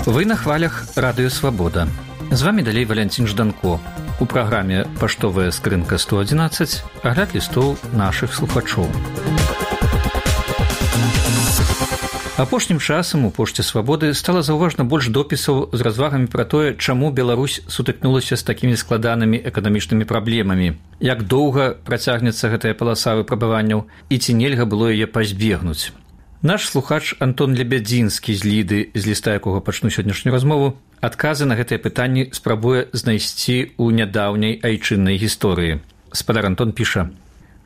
Вы на хвалях Радыё Свабода. З вами далей Валянцін Жданко. У праграме «Паштовая скрынка 111» агляд лістоў нашых слухачоў. Апошнім часам у Пошце Свабоды стала заўважна больш допісаў з развагамі пра тое, чаму Беларусь сутыкнулася з такімі складанымі эканамічнымі праблемамі, як доўга працягнецца гэтая паласа выпрабаванняў і ці нельга было яе пазбегнуць. Наш слухач Антон Лебядзінскі з Ліды, з ліста якога пачну сённяшнюю размову, адказы на гэтыя пытанні спрабуе знайсці ў нядаўняй айчыннай гісторыі. Спадар Антон піша: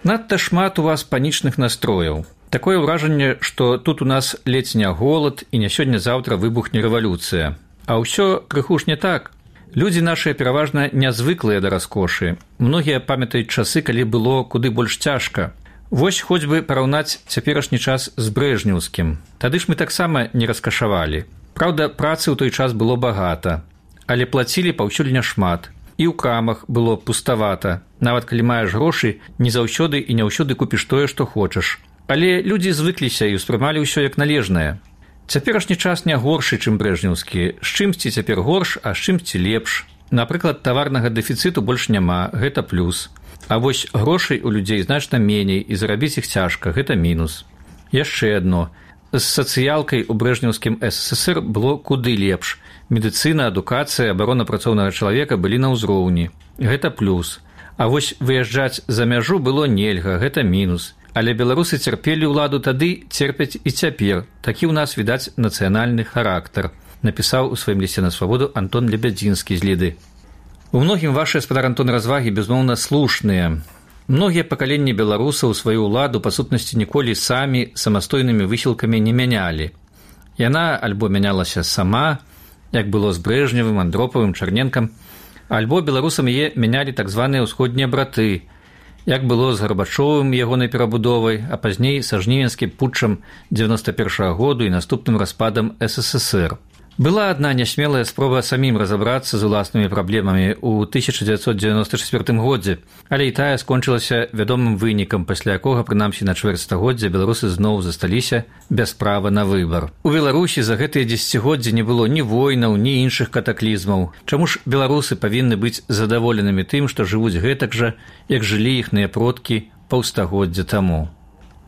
«Надта шмат у вас панічных настрояў. Такое ўражанне, што тут у нас ледзь не голад і не сёння-заўтра выбухне рэвалюцыя. А ўсё крыху ж не так. Людзі нашыя пераважна нязвыклыя да раскошы. Многія памятаюць часы, калі было куды больш цяжка. Вось хоць бы параўнаць цяперашні час з брэжнеўскім. Тады ж мы таксама не раскашавалі. Праўда, працы ў той час было багата, але плацілі паўсюль няшмат. І ў крамах было пуставата. Нават калі маеш грошы, не заўсёды і не ўсюды купіш тое, што хочаш. Але людзі звыкліся і ўспрымалі ўсё як належнае. Цяперашні час не горшы, чым брэжнеўскі. З чымсьці цяпер горш, а з чымсьці лепш. Напрыклад, таварнага дэфіцыту больш няма, гэта плюс. А вось грошай у людзей значна меней, і зарабіць іх цяжка, гэта мінус. Яшчэ адно. З сацыялкай у брэжнеўскім СССР было куды лепш. Медыцына, адукацыя, абарона працоўнага чалавека былі на ўзроўні. Гэта плюс. А вось выязджаць за мяжу было нельга, гэта мінус. Але беларусы цярпелі ўладу тады, церпяць і цяпер. Такі ў нас, відаць, нацыянальны характар, напісаў у сваім лісце на Свабоду Антон Лебядзінскі з Ліды. У многім вашыя, спадар Антон, развагі, безумоўна, слушныя. Многія пакаленні беларусаў сваю ўладу, па сутнасці, ніколі самі самастойнымі высілкамі не мянялі. Яна альбо мянялася сама, як было з Брэжневым, Андропавым, Чарненкам, альбо беларусам яе мянялі так званыя ўсходнія браты, як было з Гарбачовым ягонай перабудовай, а пазней са жнівенскім путчам 91-го году і наступным распадам СССР. Была адна нясмелая спроба самім разабрацца з уласнымі праблемамі ў 1994 годзе, але і тая скончылася вядомым вынікам, пасля якога, прынамсі на чвэрць стагоддзя, беларусы зноў засталіся без права на выбар. У Беларусі за гэтыя дзесяцігоддзі не было ні войнаў, ні іншых катаклізмаў. Чаму ж беларусы павінны быць задаволенымі тым, што жывуць гэтак жа, як жылі іхныя продкі паўстагоддзя таму?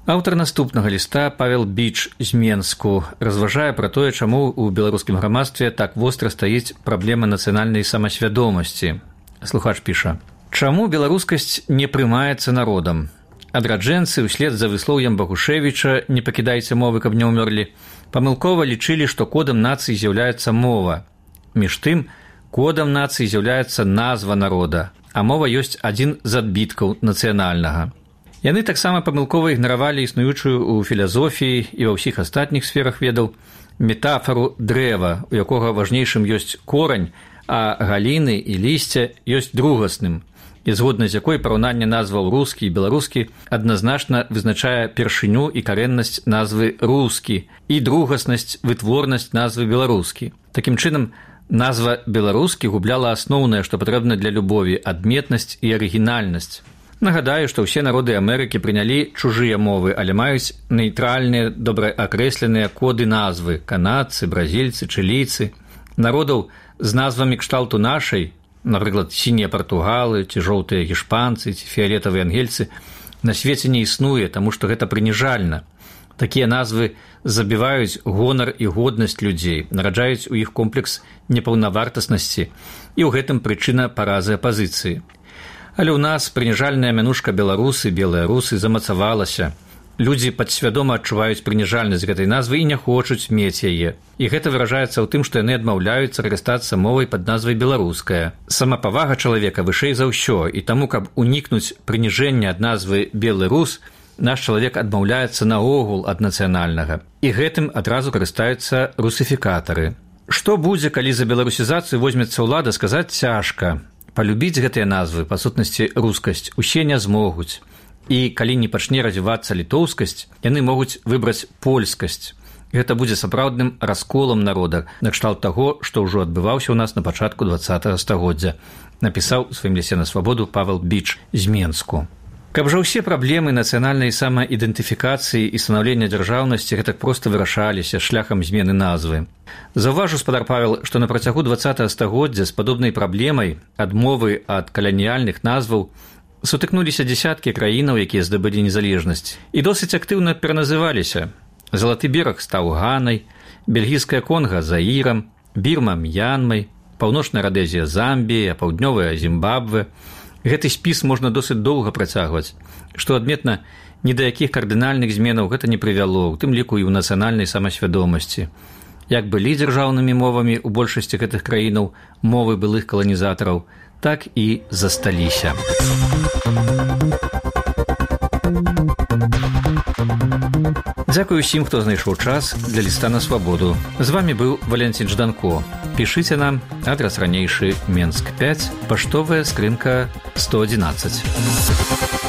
Аўтар наступнага ліста, Павел Біч з Менску, разважае пра тое, чаму ў беларускім грамадстве так востра стаіць праблема нацыянальнай самасвядомасці. Слухач піша: «Чаму беларускасць не прымаецца народам? Адраджэнцы, услед за выслоўем Багушевіча «не пакідайце мовы, каб не ўмёрлі», памылкова лічылі, што кодам нацыі з'яўляецца мова. Між тым, кодам нацыі з'яўляецца назва народа, а мова ёсць адзін з адбіткаў нацыянальнага. Яны таксама памылкова ігнаравалі існуючую ў філазофіі і ва ўсіх астатніх сферах ведаў метафору дрэва, у якога важнейшым ёсць корань, а галіны і лісце ёсць другасным, і згодна з якой параўнанне назваў рускі і беларускі адназначна вызначае першыню і карэннасць назвы рускі і другаснасць, вытворнасць назвы беларускі. Такім чынам, назва беларускі губляла асноўнае, што патрэбна для любові, адметнасць і арыгінальнасць. Нагадаю, што ўсе народы Амерыкі прынялі чужыя мовы, але маюць нейтральныя, добраакрэсленыя коды назвы – канадцы, бразільцы, чылійцы. Народаў з назвамі кшталту нашай, напрыклад, сінія партугалы, ці жоўтыя гішпанцы, ці фіялетавыя ангельцы, на свеце не існуе, таму што гэта прыніжальна. Такія назвы забіваюць гонар і годнасць людзей, нараджаюць у іх комплекс непаўнавартаснасці, і ў гэтым прычына паразы апазіцыі. Але ў нас прыніжальная мянушка беларусы, белыя русы замацавалася. Людзі падсвядома адчуваюць прыніжальнасць гэтай назвы і не хочуць мець яе. І гэта выражаецца ў тым, што яны адмаўляюцца карыстацца мовай пад назвай беларуская. Самапавага чалавека вышэй за ўсё, і таму, каб унікнуць прыніжэння ад назвы белы рус, наш чалавек адмаўляецца наогул ад нацыянальнага. І гэтым адразу карыстаюцца русіфікатары. Што будзе, калі за беларусізацыю возьмецца ўлада, сказаць цяжка. Палюбіць гэтыя назвы, па сутнасці рускасць, усе не змогуць. І калі не пачне развівацца літоўскасць, яны могуць выбраць польскасць. Гэта будзе сапраўдным расколам народа, накшталт таго, што ўжо адбываўся ў нас на пачатку 20-го стагоддзя, напісаў у сваім лісце на Свабоду Павел Біч з Менску. Каб жа ўсе праблемы нацыянальнай самаідэнтыфікацыі і станаўлення дзяржаўнасці гэтак проста вырашаліся шляхам змены назвы. Заўважу, спадар Павел, што на працягу 20 стагоддзя з падобнай праблемай адмовы ад каланіяльных назваў сутыкнуліся дзесяткі краінаў, якія здабылі незалежнасць, і досыць актыўна пераназываліся. Залаты бераг стаў Ганай, бельгійская Конга – Заірам, Бірма – М'янмай, Паўночная Радэзія – Замбія, Паўднёвая – Зімбабве. Гэты спіс можна досыць доўга працягваць. Што адметна, ні да якіх кардынальных зменаў гэта не прывяло, у тым ліку і ў нацыянальнай самасвядомасці. Як былі дзяржаўнымі мовамі ў большасці гэтых краінаў мовы былых каланізатараў, так і засталіся. Дзякую ўсім, хто знайшоў час для ліста на свабоду. З вамі быў Валянцін Жданко. Пішыце нам, адрас ранейшы Менск 5, паштовая скрынка 111.